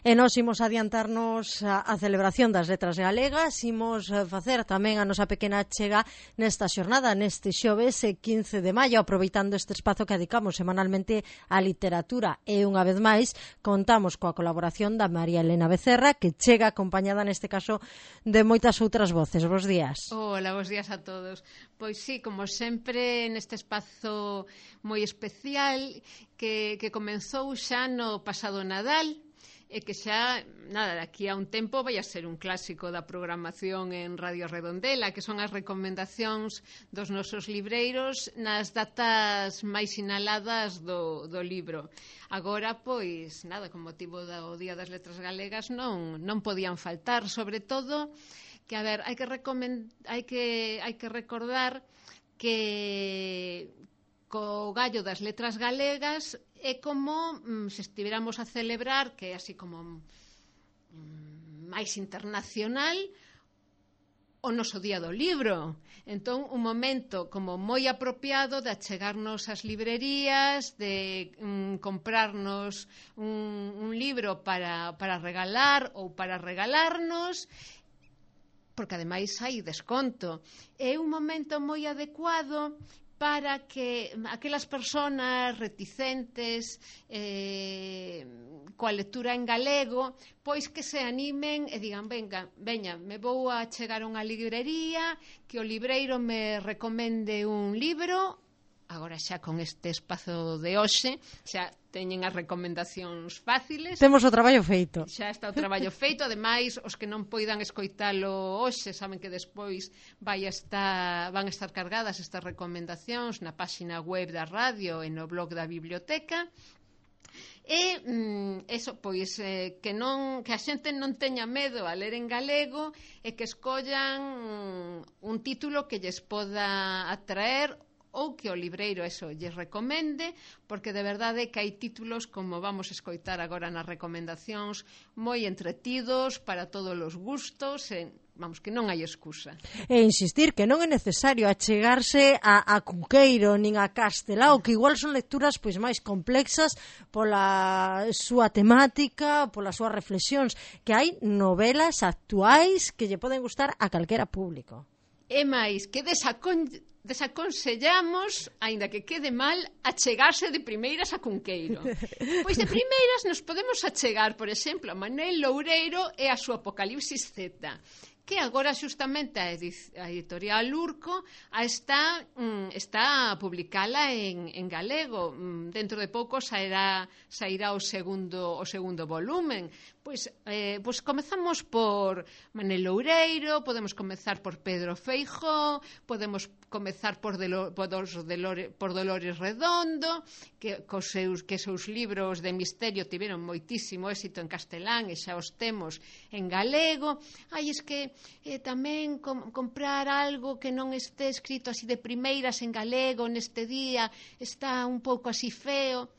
E nós imos adiantarnos a celebración das letras galegas, imos facer tamén a nosa pequena chega nesta xornada, neste xoves 15 de maio, aproveitando este espazo que dedicamos semanalmente á literatura. E unha vez máis, contamos coa colaboración da María Elena Becerra, que chega acompañada neste caso de moitas outras voces. Bos días. Hola, bos días a todos. Pois sí, como sempre, neste espazo moi especial que comenzou xa no pasado Nadal, e que xa, nada, daqui a un tempo vai a ser un clásico da programación en Radio Redondela, que son as recomendacións dos nosos libreiros nas datas máis sinaladas do libro. Agora, pois, nada, con motivo do Día das Letras Galegas non podían faltar, sobre todo que, a ver, hai que recordar que co gallo das letras galegas é como se estiveramos a celebrar, que é así como máis internacional, o noso Día do Libro. Entón, un momento como moi apropiado de achegarnos ás librerías, de comprarnos un libro para regalar ou para regalarnos, porque ademais hai desconto. É un momento moi adecuado para que aquelas persoas reticentes coa lectura en galego, pois que se animen e digan, veña, me vou a chegar a unha librería, que o libreiro me recomende un libro. Agora xa con este espazo de hoxe xa teñen as recomendacións fáciles. Temos o traballo feito. Xa está o traballo feito. Ademais, os que non poidan escoitalo hoxe saben que despois van a estar cargadas estas recomendacións na páxina web da radio e no blog da biblioteca. E eso, pois, que a xente non teña medo a ler en galego e que escollan un título que lles poda atraer ou que o libreiro eso lles recomende, porque de verdade que hai títulos, como vamos a escoitar agora nas recomendacións, moi entretidos para todos os gustos, vamos, que non hai excusa. E insistir que non é necesario achegarse a Cunqueiro nin a Castelao, que igual son lecturas pois máis complexas pola súa temática, polas súas reflexións, que hai novelas actuais que lle poden gustar a calquera público. E máis, que desaconsellamos, aínda que quede mal, achegarse de primeiras a Cunqueiro. Pois de primeiras nos podemos achegar, por exemplo, a Manuel Loureiro e a súa Apocalipsis Z, que agora xustamente a editorial Urco está a publicala en galego. Dentro de pouco sairá o segundo volumen. Pois comezamos por Manuel Loureiro, podemos comezar por Pedro Feijóo, podemos comezar por Dolores Redondo, que seus libros de misterio tiveron moitísimo éxito en castelán e xa os temos en galego. Es que tamén comprar algo que non este escrito así de primeiras en galego neste día está un pouco así feo.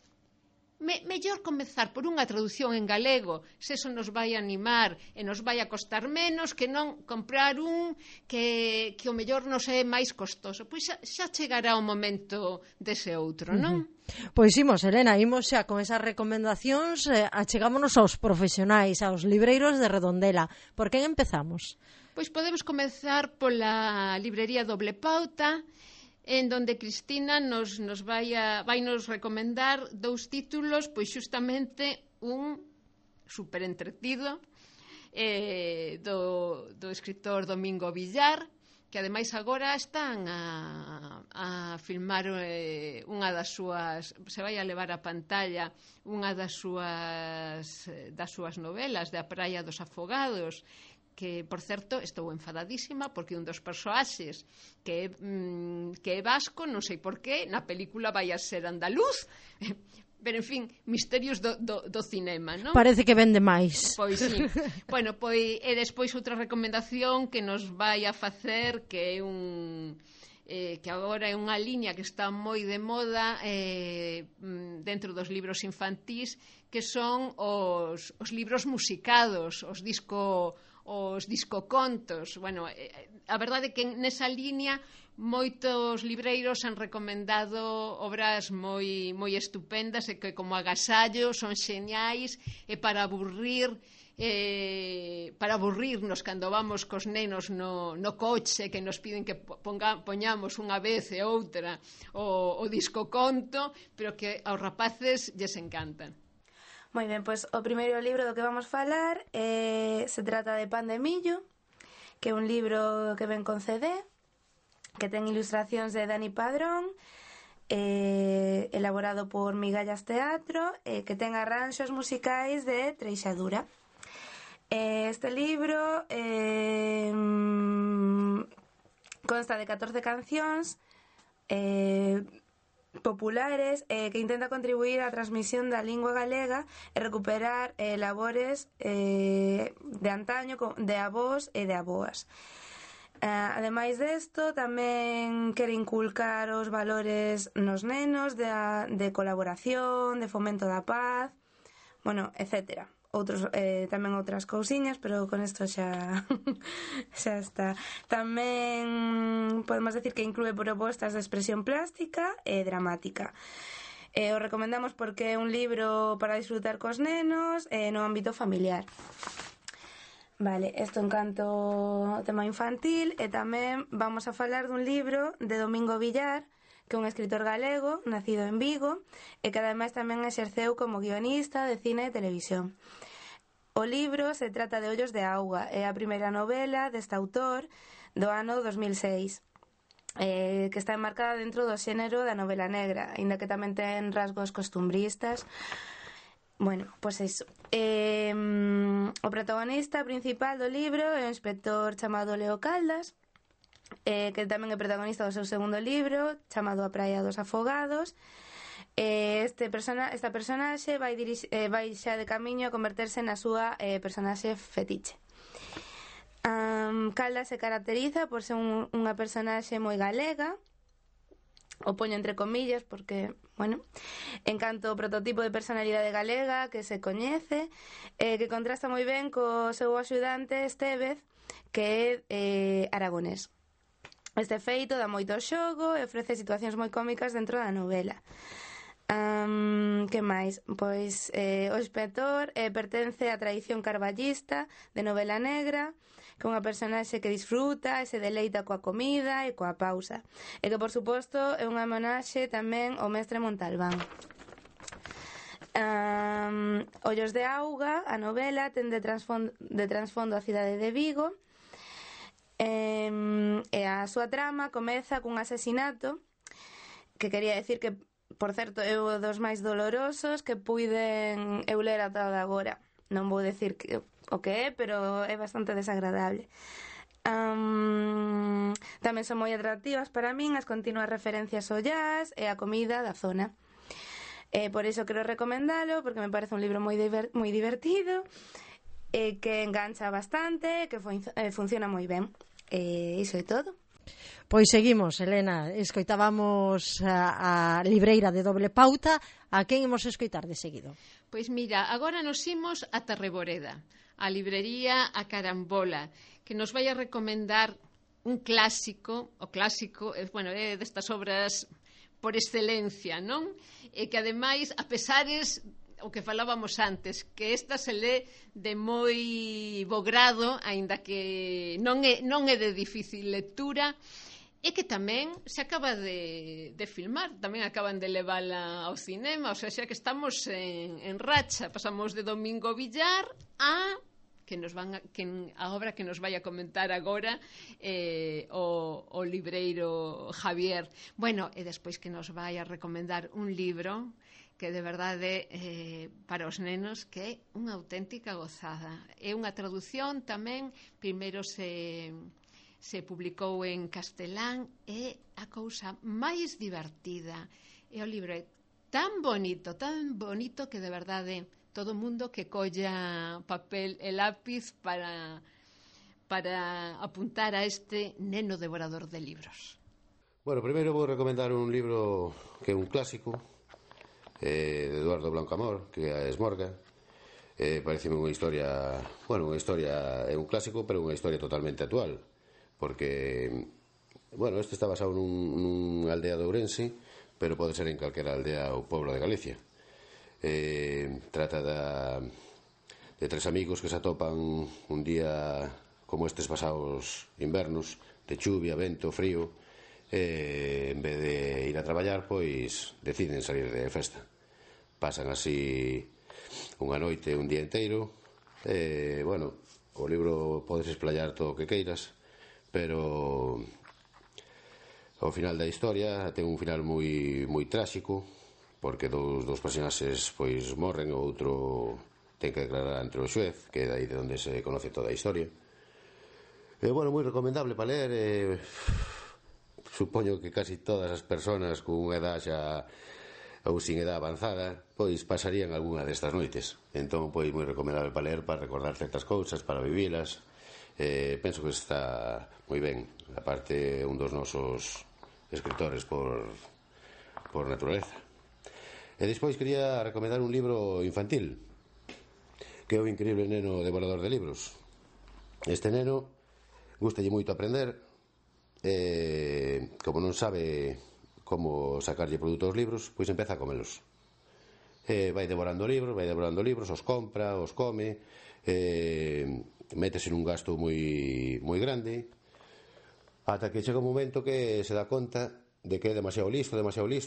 Mellor comezar por unha traducción en galego, se eso nos vai animar e nos vai a costar menos, que non comprar un que o mellor nos é máis costoso. Pois xa chegará o momento dese outro, non? Pois imos, Elena, imos xa con esas recomendacións, achegámonos aos profesionais, aos libreiros de Redondela. Por quen empezamos? Pois podemos comezar pola librería Doble Pauta, en donde Cristina nos vai nos recomendar dous títulos, pois xustamente un super entretido do escritor Domingo Villar, que ademais agora están a filmar unha das súas, se vai a levar a pantalla unha das súas novelas, de A Praia dos Afogados, que, por certo, estou enfadadísima porque un dos persoaxes que é vasco, non sei por qué, na película vai a ser andaluz, pero, en fin, misterios do cinema, non? Parece que vende máis. Pois sí. Bueno, pois, e despois outra recomendación que nos vai a facer, que é que agora é unha liña que está moi de moda dentro dos libros infantís, que son os libros musicados, os os discocontos. Bueno, a verdade é que nesa línea moitos libreiros han recomendado obras moi estupendas e que como agasallo son xeniais e para aburrirnos cando vamos cos nenos no coche que nos piden que poñamos unha vez e outra o discoconto, pero que aos rapaces lles encantan. Moi ben, pois o primeiro libro do que vamos falar se trata de Pan de Millo, que é un libro que ven con CD, que ten ilustracións de Dani Padrón, elaborado por Migallas Teatro, que ten arranxos musicais de Treixadura. Este libro consta de 14 cancións populares que intenta contribuir á transmisión da lingua galega e recuperar labores de antaño de avós e de aboas. Ademais desto, tamén quere inculcar os valores nos nenos de colaboración, de fomento da paz, bueno, etcétera. Tamén outras cousiñas, pero con isto xa está. Tamén podemos decir que inclúe propostas de expresión plástica e dramática. O recomendamos porque é un libro para disfrutar cos nenos no ámbito familiar. Vale, isto en canto ao tema infantil, e tamén vamos a falar dun libro de Domingo Villar, que é un escritor galego, nacido en Vigo, e que ademais tamén exerceu como guionista de cine e televisión. O libro se trata de Ollos de Auga, é a primeira novela deste autor do ano 2006, que está enmarcada dentro do xénero da novela negra, aínda que tamén ten rasgos costumbristas. Bueno, pois iso. O protagonista principal do libro é un inspector chamado Leo Caldas, que tamén é protagonista do seu segundo libro, chamado A Praia dos Afogados. Esta personaxe vai xa de camiño a converterse na súa personaxe fetiche. Caldas se caracteriza por ser unha personaxe moi galega, o poño entre comillas porque, bueno, en canto ao prototipo de personalidade galega que se coñece, que contrasta moi ben co seu axudante Estévez, que é aragonés. Este feito dá moito xogo e ofrece situacións moi cómicas dentro da novela. Que máis? Pois o inspector pertence á tradición carballista de novela negra, que é unha personaxe que disfruta e se deleita coa comida e coa pausa, e que por suposto é unha homenaxe tamén ao mestre Montalbán. Ollos de Auga, a novela, ten de trasfondo a cidade de Vigo, e a súa trama comeza cun asesinato que quería decir que, por certo, é un dos máis dolorosos que puiden eu ler ata agora. Non vou decir o que é, pero é bastante desagradable. Tamén son moi atractivas para min as continuas referencias ao jazz e a comida da zona. Por iso quero recomendalo, porque me parece un libro moi divertido, que engancha bastante, que funciona moi ben. Iso é todo. Pois seguimos, Elena, escoitábamos a libreira de Doble Pauta. A quen imos escoitar de seguido? Pois mira, agora nos imos a Terreboreda, a librería A Carambola, que nos vai a recomendar un clásico, o clásico, bueno, é destas obras por excelencia, non? E que ademais, a pesares o que falábamos antes, que esta se lé de moi bo grado, aínda que non é de difícil lectura, e que tamén se acaba de filmar, tamén acaban de levala ao cinema, o sea, xa que estamos en racha, pasamos de Domingo Villar a obra que nos vai a comentar agora o libreiro Javier. Bueno, e despois que nos vai a recomendar un libro que de verdade para os nenos que é unha auténtica gozada. É unha traducción tamén, primeiro se publicou en castelán, e a cousa máis divertida. E o libro é tan bonito que de verdade todo o mundo que colla papel e lápiz para apuntar a este neno devorador de libros. Bueno, primeiro vou recomendar un libro que é un clásico, de Eduardo Blanco Amor, que é a Esmorga. Pareceme unha historia, bueno, unha historia é un clásico, pero unha historia totalmente actual, porque, bueno, este está basado nunha aldea de Ourense, pero pode ser en calquera aldea ou pueblo de Galicia. Trata de tres amigos que se atopan un día como estes pasados invernos, de chuvia, vento, frío, en vez de ir a traballar, pois deciden salir de festa. Pasan así unha noite, un día inteiro. Bueno, o libro podes explayar todo o que queiras, pero ao final da historia ten un final moi tráxico, porque dos personaxes pois morren, o outro ten que declarar ante o xuez, que é dai de onde se conoce toda a historia. Bueno, moi recomendable para ler. Supoño que casi todas as persoas con unha edad xa ou sin edad avanzada pois pasarían algunha destas noites. Entón, pois moi recomendable para ler, para recordar certas cousas, para vivilas. Penso que está moi ben. A parte, un dos nosos escritores por naturaleza. E despois quería recomendar un libro infantil, que é o increíble neno devorador de libros. Este neno gustalle moito aprender, como non sabe como sacarlle produto aos libros, pois empeza a comelos. Vai devorando libros, os compra, os come, métese nun gasto moi grande, ata que chega un momento que se dá conta de que é demasiado listo,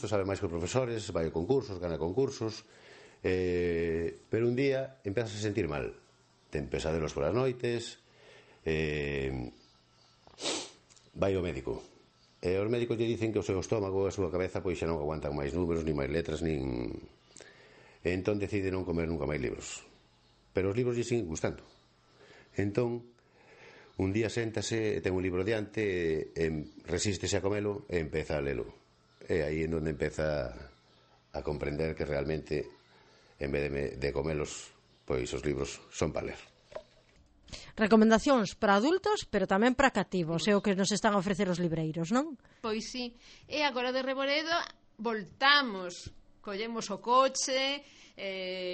sabe máis que os profesores, vai a concursos, gana concursos, pero un día empezas a sentir mal, ten pesadelos polas noites, vai ao médico, e os médicos lle dicen que o seu estómago e a súa cabeza pois xa non aguantan máis números, nin máis letras, nin... Entón decide non comer nunca máis libros, pero os libros lle siguen gustando. Entón un día séntase e ten un libro diante, resístese a comelo e empeza a lelo, e aí en onde empeza a comprender que realmente en vez de comelos, pois os libros son para ler. Recomendacións para adultos, pero tamén para cativos, é o que nos están a ofrecer os libreiros, non? Pois sí, e agora de Reboredo voltamos, collemos o coche,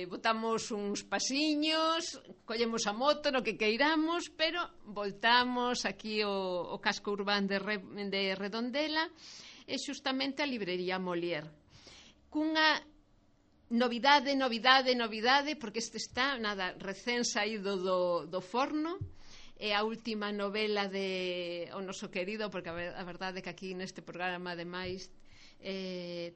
botamos uns pasiños, collemos a moto, no que queiramos, pero voltamos aquí o casco urbán de Redondela, e xustamente a librería Molière, cunha novidade, porque este está, recén saído do forno, é a última novela de o noso querido, porque a verdade é que aquí neste programa, ademais,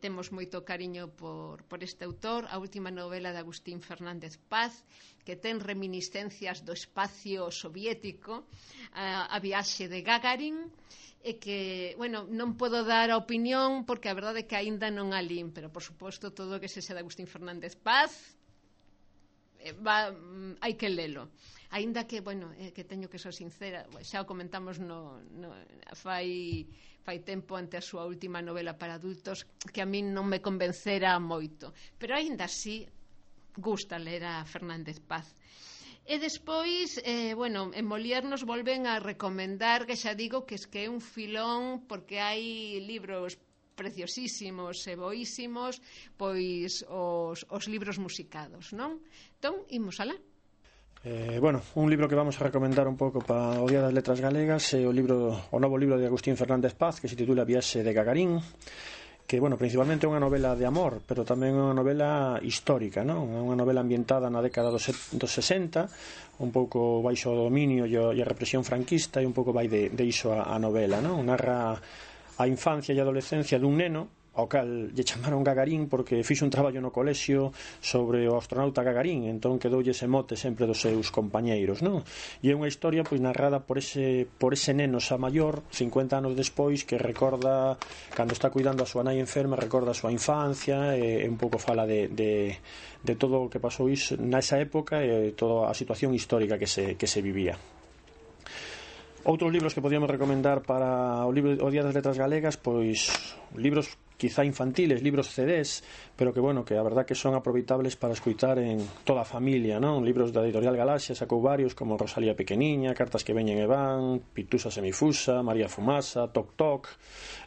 temos moito cariño por este autor, a última novela de Agustín Fernández Paz, que ten reminiscencias do espacio soviético, a viaxe de Gagarin, e que, bueno, non podo dar a opinión porque a verdade é que aínda non a lín, pero por suposto todo o que se de Agustín Fernández Paz hai que lelo. Aínda que, bueno, que teño que ser sincera, xa o comentamos fai tempo ante a súa última novela para adultos, que a min non me convencera moito, pero aínda así gusta ler a Fernández Paz. E despois, bueno, en Molière nos volven a recomendar, que xa digo que é un filón, porque hai libros preciosísimos e boísimos, pois os libros musicados, non? Entón, imos alá. Bueno, un libro que vamos a recomendar un pouco para o Día das Letras Galegas é o novo libro de Agustín Fernández Paz, que se titula Viaxe de Gagarin, que, bueno, principalmente é unha novela de amor, pero tamén é unha novela histórica, non? É unha novela ambientada na década dos 60, un pouco baixo o dominio e a represión franquista, e un pouco vai de iso a novela, non? Narra a infancia e a adolescencia dun neno ao cal lle chamaron Gagarin porque fixo un traballo no colexio sobre o astronauta Gagarin, entón quedoulle ese mote sempre dos seus compañeiros, non? E é unha historia pois narrada por ese neno xa maior, 50 anos despois, que recorda cando está cuidando a súa nai enferma, recorda a súa infancia e un pouco fala de todo o que pasou nesa época e toda a situación histórica que se vivía. Outros libros que podíamos recomendar para o Día das Letras Galegas, pois libros quizá infantiles, libros CDs, pero que, bueno, que a verdad que son aproveitables para escutar en toda a familia, non? Libros da editorial Galaxia sacou varios como Rosalía Pequeniña, Cartas que veñen e van, Pitusa Semifusa, María Fumasa, Toc Toc,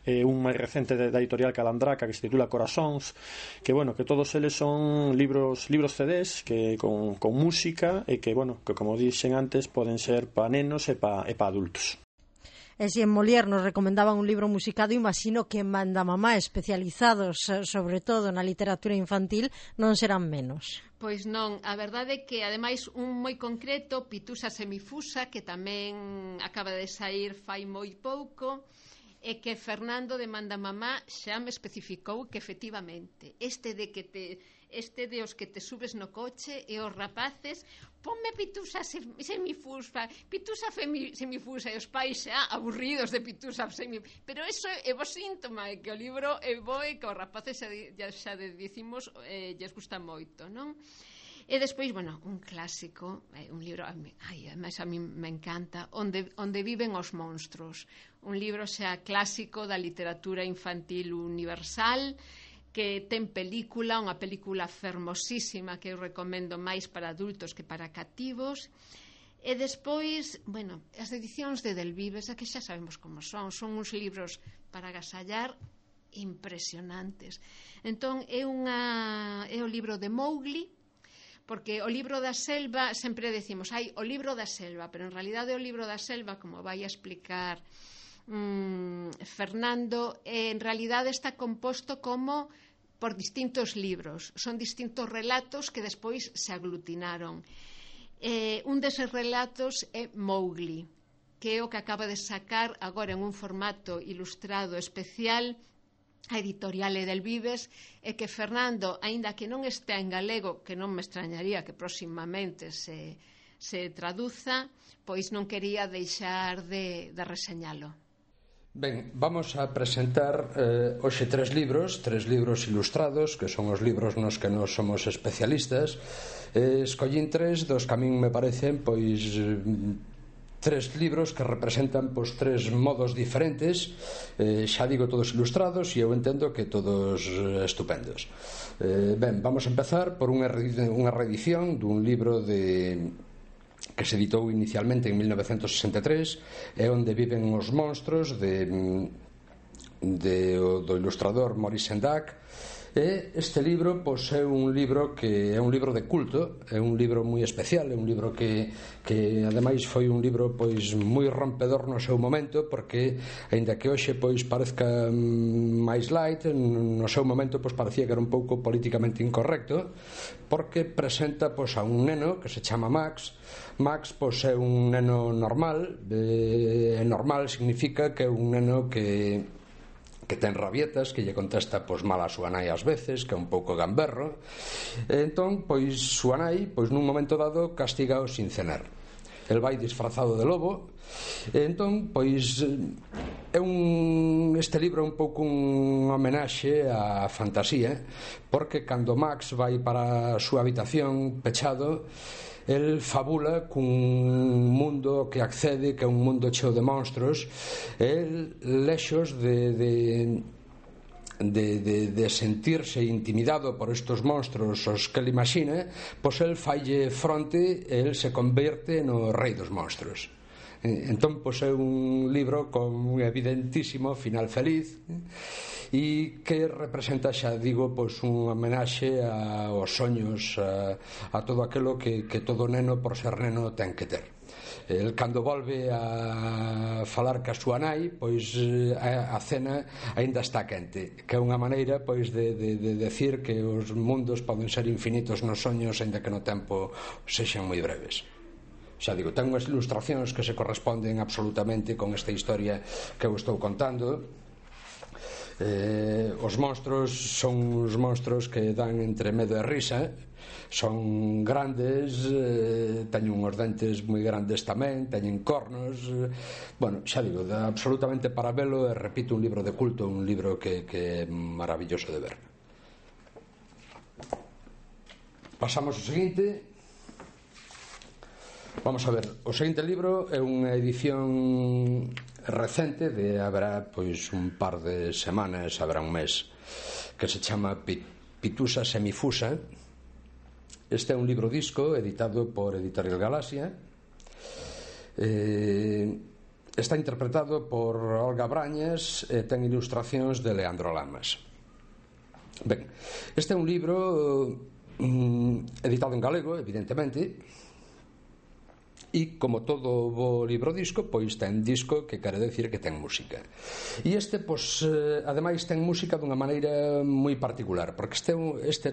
un máis recente da editorial Calandraca que se titula Corazóns, que, bueno, que todos eles son libros CDs que con música e que, bueno, que como dixen antes poden ser pa nenos e pa adultos. E se en Molière nos recomendaban un libro musicado, imagino que en Mandamamá, especializados sobre todo na literatura infantil, non serán menos. Pois non, a verdade é que ademais un moi concreto, Pitusa Semifusa, que tamén acaba de saír fai moi pouco, e que Fernando de Mandamamá xa me especificou que efectivamente este de os que te subes no coche e os rapaces, ponme Pitusa Semifusa, Pitusa Semifusa, e os pais xa aburridos de Pitusa Semifusa, pero eso é bo síntoma, é que o libro é bo e que os rapaces xa dicimos lles gusta moito, non? E despois, bueno, un clásico, un libro, ademais a mí me encanta, Onde viven os monstros, un libro xa clásico da literatura infantil universal, que ten película, unha película fermosísima que eu recomendo máis para adultos que para cativos. E despois, bueno, as edicións de Delvives, que xa sabemos como son uns libros para agasallar impresionantes. Entón, é o libro de Mowgli, porque o libro da selva, sempre decimos, o libro da selva, pero en realidade o libro da selva, como vai a explicar Fernando, en realidade está composto como por distintos libros, son distintos relatos que despois se aglutinaron. Un deses relatos é Mowgli, que é o que acaba de sacar agora en un formato ilustrado especial a editorial Edelvives, e que Fernando, aínda que non estea en galego, que non me extrañaría que próximamente se traduza, pois non quería deixar de reseñalo. Ben, vamos a presentar hoxe tres libros ilustrados, que son os libros nos que nos somos especialistas. Escollín tres dos que a min me parecen, pois, tres libros que representan pois tres modos diferentes, xa digo todos ilustrados, e eu entendo que todos estupendos. Ben, vamos a empezar por unha reedición dun libro que se editou inicialmente en 1963, é Onde viven os monstros, do ilustrador Maurice Sendak. E este libro pois, é un libro que é un libro de culto, é un libro moi especial, é un libro que ademais foi un libro pois moi rompedor no seu momento, porque aínda que hoxe pois parezca máis light, no seu momento pois parecía que era un pouco políticamente incorrecto, porque presenta pois a un neno que se chama Max. Max pois é un neno normal, e normal significa que é un neno que ten rabietas, que lle contesta pois mal a súa nai ás veces, que é un pouco gamberro. Entón, pois súa nai, pois nun momento dado castígao sin cenar. El vai disfrazado de lobo. Entón, pois este libro é un pouco un homenaxe á fantasía, porque cando Max vai para a súa habitación pechado, el fabula cun mundo que accede, que é un mundo cheo de monstros. El lexos de sentirse intimidado por estos monstros os que ele imagina, pois el falle fronte e el se converte no rei dos monstros. Entón, pois é un libro con un evidentísimo final feliz, e que representa, xa digo, pois un homenaxe aos soños, a todo aquilo que todo neno, por ser neno, ten que ter. El, cando volve a falar ca súa nai, pois a cena aínda está quente, que é unha maneira pois de decir que os mundos poden ser infinitos nos soños, aínda que no tempo sexan moi breves. Xa digo, ten unhas ilustracións que se corresponden absolutamente con esta historia que eu estou contando. Os monstros son uns monstros que dan entre medo e risa. Son grandes, teñen uns dentes moi grandes tamén, teñen cornos. Bueno, xa digo, absolutamente para velo, e repito, un libro de culto, un libro que é maravilloso de ver. Pasamos ao seguinte. Vamos a ver, o seguinte libro é unha edición recente, haberá pois un par de semanas, haberá un mes. que se chama Pitusa Semifusa. Este é un libro disco editado por Editorial Galaxia. Está interpretado por Olga Brañas e ten ilustracións de Leandro Lamas. Ben, este é un libro editado en galego, evidentemente, e como todo bo libro disco, pois ten disco, que quere decir que ten música. E este, pois, ademais ten música dunha maneira moi particular, porque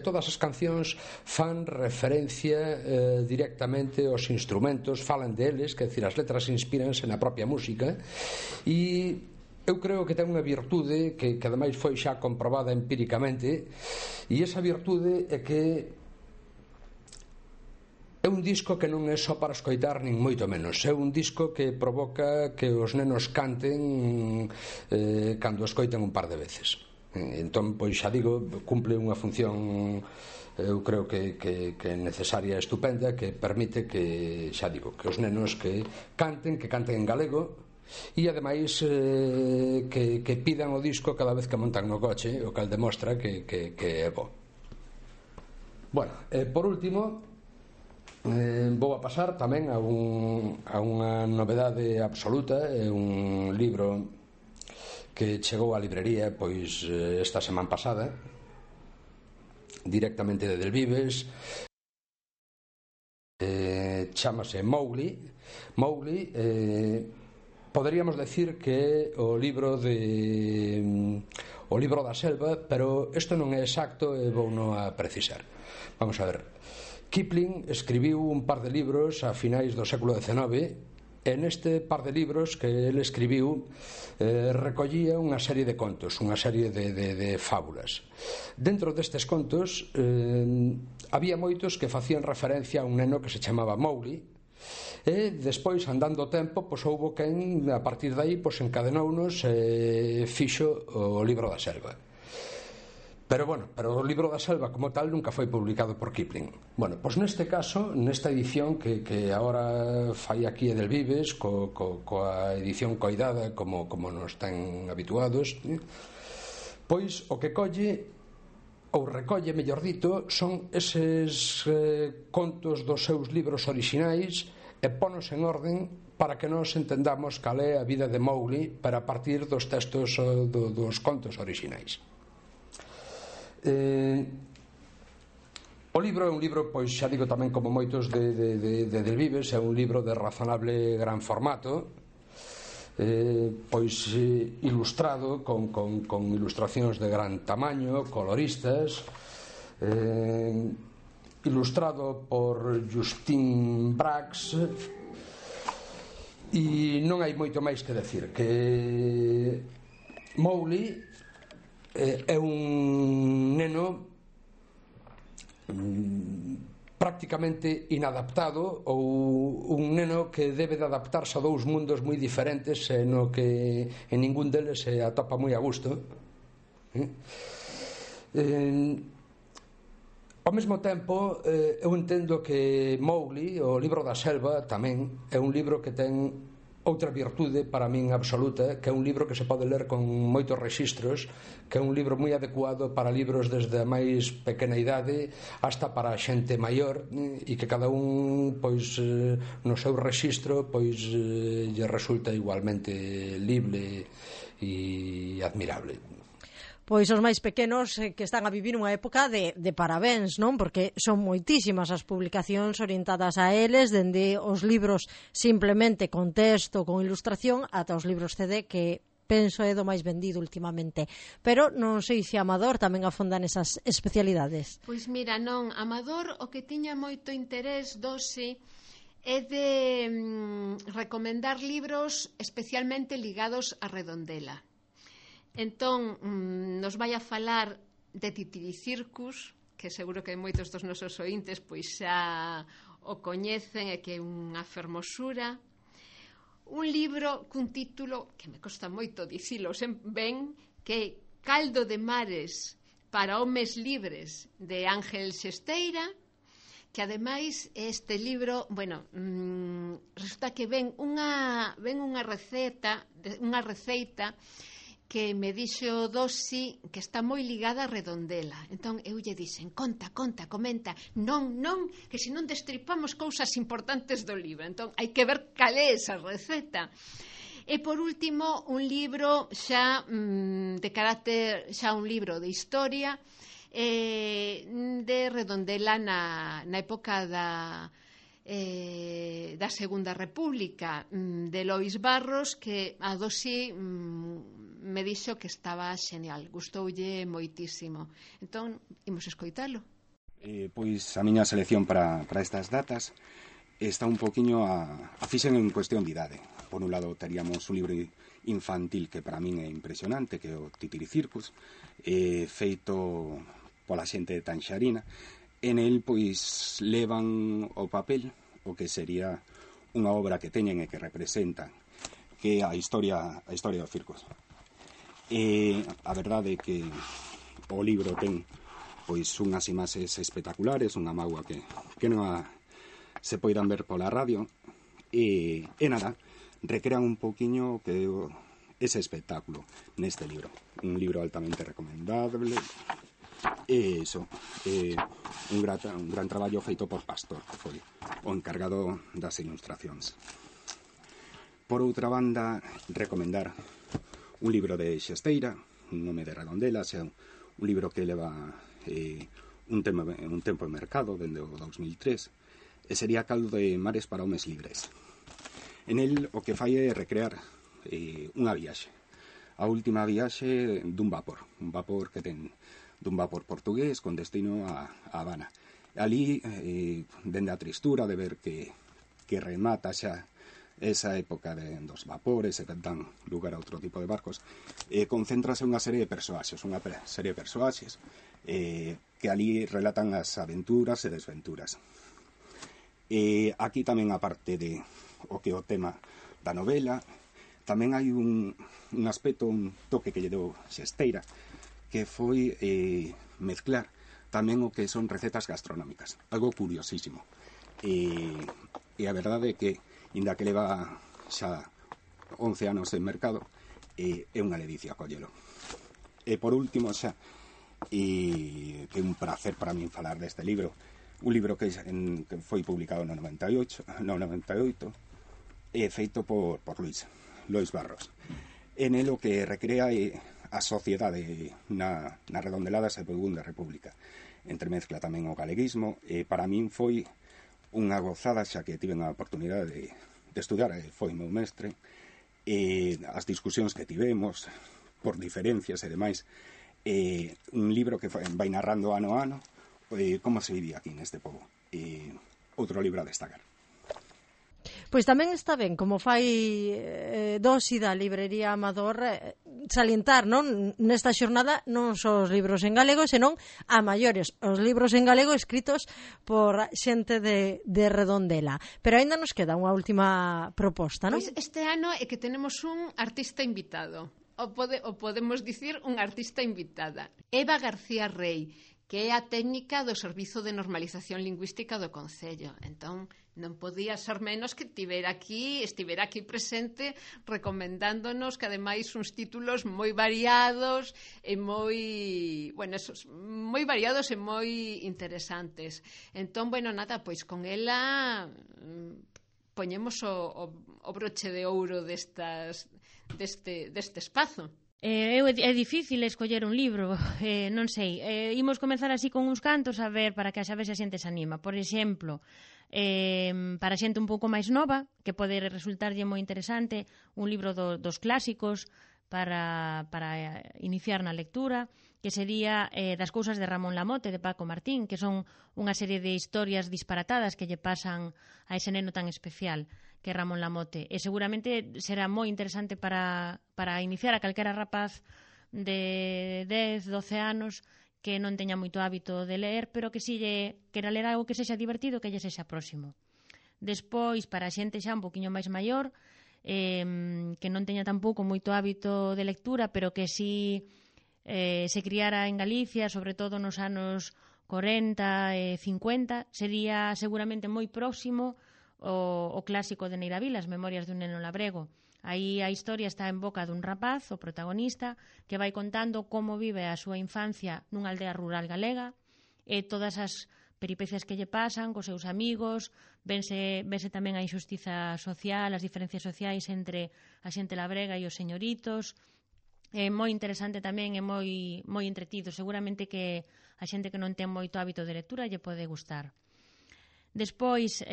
todas as cancións fan referencia directamente aos instrumentos, falan deles, que decir, as letras inspíranse na propia música, e eu creo que ten unha virtude que ademais foi xa comprobada empíricamente, e esa virtude é que é un disco que non é só para escoitar, nin moito menos. É un disco que provoca que os nenos canten cando escoiten un par de veces. Entón, pois xa digo, cumple unha función, eu creo que necesaria e estupenda, que permite que, xa digo, que os nenos que canten en galego, e ademais que pidan o disco cada vez que montan no coche, o cal demostra que é bo. Bueno, por último, vou a pasar tamén a unha novedade absoluta. É un libro que chegou á librería pois esta semana pasada, directamente de Delvives. Chámase Mowgli. Poderíamos decir que é o libro da selva, pero isto non é exacto e vou non a precisar. Vamos a ver. Kipling escribiu un par de libros a finais do século XIX, e neste par de libros que ele escribiu recollía unha serie de contos, unha serie de fábulas. Dentro destes contos había moitos que facían referencia a un neno que se chamaba Mowgli, e despois, andando o tempo, pois houbo quen a partir de aí pois encadenounos e fixo o libro da selva. Pero o libro da selva como tal nunca foi publicado por Kipling. Bueno, pois neste caso, nesta edición que agora fai aquí Edelvives, coa edición coidada como nos ten habituados, pois o que colle, ou recolle, mellor dito, son eses contos dos seus libros orixinais e ponos en orden para que nos entendamos cal é a vida de Mowgli para partir dos textos dos contos orixinais. O libro é un libro, pois xa digo tamén como moitos de Delvives, é un libro de razonable gran formato, pois ilustrado con ilustracións de gran tamaño, coloristas, ilustrado por Justin Brax, e non hai moito máis que decir, que Mowgli é un neno prácticamente inadaptado, ou un neno que debe de adaptarse a dous mundos moi diferentes e no que en ningún deles se atopa moi a gusto. Ao mesmo tempo, eu entendo que Mowgli, o libro da selva, tamén é un libro que ten outra virtude para min absoluta, que é un libro que se pode ler con moitos rexistros, que é un libro moi adecuado para libros desde a máis pequena idade hasta para a xente maior, e que cada un pois no seu rexistro pois lle resulta igualmente libre e admirable. Pois os máis pequenos que están a vivir unha época de parabéns, non? Porque son moitísimas as publicacións orientadas a eles, dende os libros simplemente con texto, con ilustración, ata os libros CD, que penso é do máis vendido últimamente. Pero non sei se Amador tamén afonda nesas especialidades. Pois mira, non, Amador o que tiña moito interés dose é de recomendar libros especialmente ligados a Redondela. Entón, nos vai a falar de Titiricircus, que seguro que moitos dos nosos ointes pois xa o coñecen e que é unha fermosura. Un libro cun título que me costa moito dicilo ben, que é Caldo de mares para homes libres, de Ángel Xesteira, que ademais este libro, resulta que ven unha receita que me dixo Dosi que está moi ligada a Redondela. Entón eu lle dixen, conta, comenta. Non, que se non destripamos cousas importantes do libro. Entón hai que ver cal é esa receta. E por último, un libro xa de carácter, xa un libro de historia de Redondela na época da Segunda República, de Lois Barros, que a Dosi me dixo que estaba xenial, gustoulle moitísimo. Entón, imos escoitalo. Pois a miña selección para estas datas está un poquinho a fixen en cuestión de idade. Por un lado, teríamos un libro infantil que para min é impresionante, que é o Titiricircus, feito pola xente de Tanxarina. En el, pois, levan o papel o que sería unha obra que teñen e que representan, que é a historia dos circos. E a verdade é que o libro ten pois unhas imaxes espectaculares, unha mágoa que non se poidan ver pola radio, e nada, recrean un poquinho que ese espectáculo neste libro. Un libro altamente recomendable, e iso, un gran traballo feito por Pastor, que foi o encargado das ilustracións. Por outra banda, recomendar un libro de Xesteira, un nome de Redondela, xa un libro que leva un tempo en mercado, dende o 2003, e sería Caldo de mares para homes libres. En el o que fai é recrear unha viaxe, a última viaxe dun vapor que ten dun vapor portugués con destino a Habana. Ali, dende a tristura de ver que remata xa esa época dos vapores e que dan lugar a outro tipo de barcos, concéntrase unha serie de persoaxes, que ali relatan as aventuras e desventuras. Aquí tamén, aparte de o que é o tema da novela, tamén hai un aspecto, un toque que lle deu Xesteira, que foi mezclar tamén o que son recetas gastronómicas, algo curiosísimo. E a verdade é que, inda que leva xa 11 anos en mercado, é unha ledicia collelo. E por último xa, que é un placer para min falar deste libro, un libro que foi publicado no 98, feito por Lois Barros. En el o que recrea a sociedade na Redondelada Segunda República. Entremezcla tamén o galeguismo, e para min foi unha gozada, xa que tive a oportunidade de estudar, foi meu mestre, e as discusións que tivemos por diferencias e demais, un libro que vai narrando ano a ano como se vivía aquí neste pobo. Outro libro a destacar. Pois tamén está ben, como fai Dosi da librería Amador, salientar, non, nesta xornada non só os libros en galego, senón a maiores, os libros en galego escritos por xente de Redondela. Pero aínda nos queda unha última proposta, non? Pois este ano é que tenemos un artista invitado, o podemos dicir un artista invitada, Eva García Rey, que é a técnica do Servizo de Normalización Lingüística do Concello. Entón, non podía ser menos que estivera aquí presente, recomendándonos que ademais uns títulos moi variados e moi variados e moi interesantes. Entón, nada, pois con ela poñemos o broche de ouro deste espazo. É difícil escoller un libro, non sei, imos comezar así con uns cantos a ver para que a ver se a xente se anima. Por exemplo, para a xente un pouco máis nova, que pode resultarlle moi interesante, un libro dos clásicos para iniciar na lectura, que sería Das cousas de Ramón Lamote, de Paco Martín, que son unha serie de historias disparatadas que lle pasan a ese neno tan especial que Ramón Lamote, e seguramente será moi interesante para iniciar a calquera rapaz de 10, 12 anos que non teña moito hábito de ler, pero que si lle quera ler algo que sexa divertido, que lle sexa próximo. Despois, para a xente xa un poquinho máis maior, que non teña tampouco moito hábito de lectura, pero que si se criara en Galicia, sobre todo nos anos 40 e 50, sería seguramente moi próximo o clásico de Neira Vila, As memorias dun neno labrego, Aí a historia está en boca dun rapaz, o protagonista, que vai contando como vive a súa infancia nunha aldea rural galega e todas as peripecias que lle pasan cos seus amigos, vese tamén a injustiza social, as diferencias sociais entre a xente labrega e os señoritos. É moi interesante tamén, é moi entretido. Seguramente que a xente que non ten moito hábito de lectura lle pode gustar. Despois,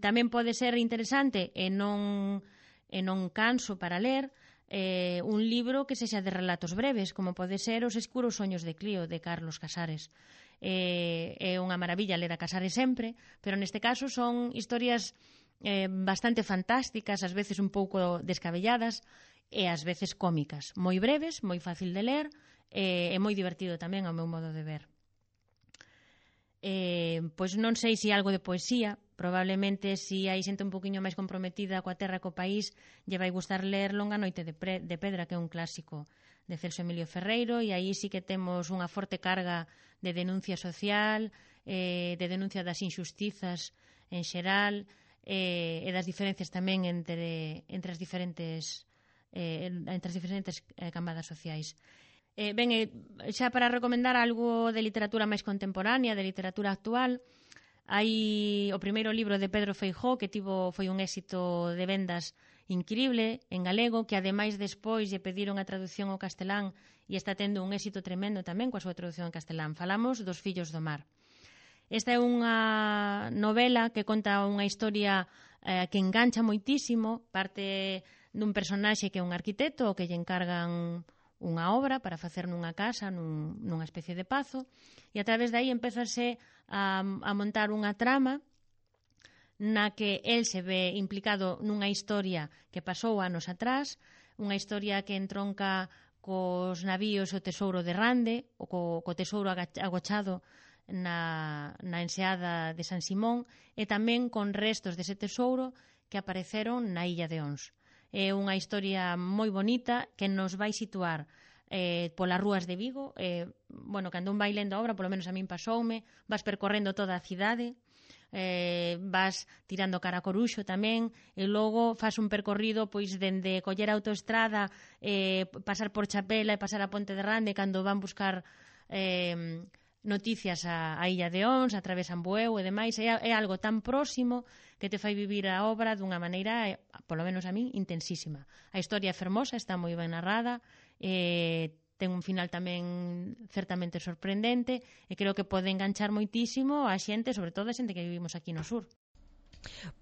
tamén pode ser interesante e non canso para ler un libro que sexa de relatos breves, como pode ser Os escuros soños de Clío, de Carlos Casares. É unha maravilla ler a Casares sempre, pero neste caso son historias bastante fantásticas, ás veces un pouco descabelladas, e ás veces cómicas, moi breves, moi fácil de ler e moi divertido tamén ao meu modo de ver. Pois non sei se algo de poesía, probablemente se hai xente un poquinho máis comprometida coa terra e co país lle vai gustar ler Longa noite de pedra, que é un clásico de Celso Emilio Ferreiro, e aí sí que temos unha forte carga de denuncia social, de denuncia das injustizas en xeral, e das diferencias tamén entre as diferentes camadas sociais. Xa para recomendar algo de literatura máis contemporánea, de literatura actual, hai o primeiro libro de Pedro Feijóo, que foi un éxito de vendas increíble en galego, que ademais despois lle pediron a traducción ao castelán e está tendo un éxito tremendo tamén coa súa traducción ao castelán. Falamos dos Fillos do Mar. Esta é unha novela que conta unha historia que engancha moitísimo, parte dun personaxe que é un arquitecto que lle encargan unha obra para facer nunha casa, nunha especie de pazo, e a través de aí empezase a montar unha trama na que el se ve implicado nunha historia que pasou anos atrás, unha historia que entronca cos navíos o tesouro de Rande, o co tesouro agochado na enseada de San Simón, e tamén con restos dese tesouro que apareceron na illa de Ons. É unha historia moi bonita que nos vai situar polas rúas de Vigo. Cando un vai lendo a obra, polo menos a min pasoume, vas percorrendo toda a cidade, vas tirando cara a Coruxo tamén, e logo faz un percorrido pois dende coller a autoestrada, pasar por Chapela e pasar a Ponte de Rande cando van buscar noticias a illa de Ons, atravesan Bueu e demais. É algo tan próximo que te fai vivir a obra dunha maneira, polo menos a min, intensísima. A historia é fermosa, está moi ben narrada, ten un final tamén certamente sorprendente, e creo que pode enganchar moitísimo a xente, sobre todo a xente que vivimos aquí no sur.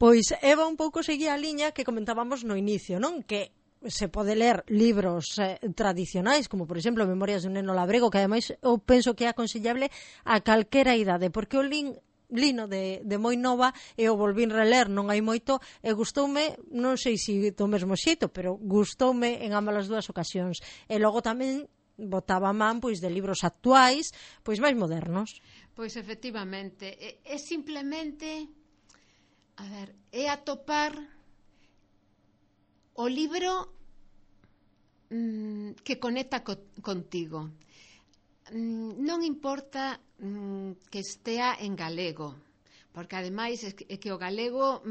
Pois Eva un pouco seguía a liña que comentábamos no inicio, non? Que se pode ler libros tradicionais, como por exemplo Memorias dun neno labrego, que ademais eu penso que é aconsellable a calquera idade, porque o lino de moi nova e o volvín reler non hai moito e gustoume, non sei se do mesmo xeito, pero gustoume en ambas as dúas ocasións. E logo tamén botaba man pois de libros actuais, pois máis modernos. Pois efectivamente, é simplemente é atopar o libro que conecta contigo. Non importa que estea en galego, porque ademais é que o galego,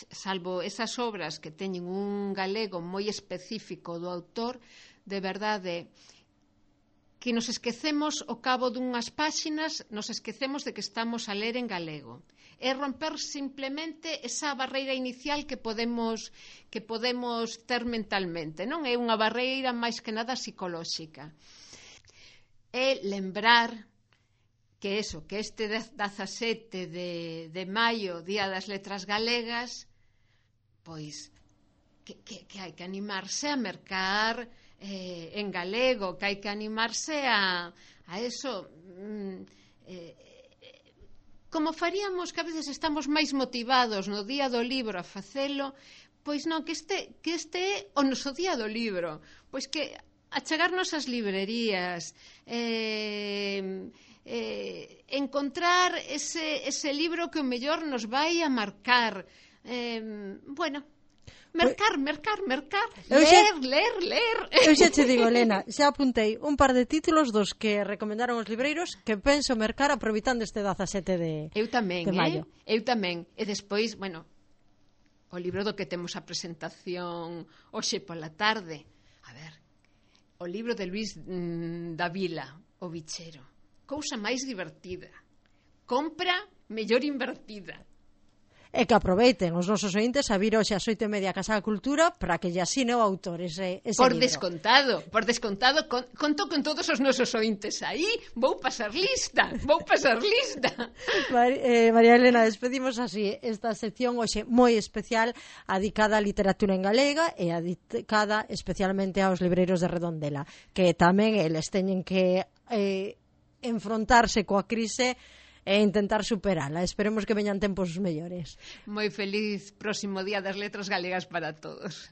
salvo esas obras que teñen un galego moi específico do autor, de verdade que nos esquecemos ao cabo dunhas páxinas, nos esquecemos de que estamos a ler en galego. É romper simplemente esa barreira inicial que podemos ter mentalmente, non? É unha barreira máis que nada psicolóxica. É lembrar que este 17 de maio, Día das Letras Galegas, pois que hai que animarse a mercar en galego, que hai que animarse a eso, como faríamos que a veces estamos máis motivados no día do libro a facelo, pois non, que este é o noso día do libro, pois que achegarnos ás librerías, encontrar ese libro que o mellor nos vai a marcar, mercar, ler. Eu xa te digo, Elena, xa apuntei un par de títulos dos que recomendaron os libreiros que penso mercar aproveitando este 17 de maio. Eu tamén. E despois, o libro do que temos a presentación hoxe pola tarde. A ver, o libro de Luis Davila, O bichero. Cousa máis divertida. Compra mellor invertida. E que aproveiten os nosos ointes a vir hoxe ás 8:30 a Casa da Cultura para que lle asine o autor ese por libro. Por descontado, conto con todos os nosos ointes aí, vou pasar lista. María Elena, despedimos así esta sección hoxe moi especial adicada á literatura en galega e adicada especialmente aos libreiros de Redondela, que tamén eles teñen que enfrontarse coa crise e intentar superala. Esperemos que veñan tempos mellores. Moi feliz próximo Día das Letras Galegas para todos.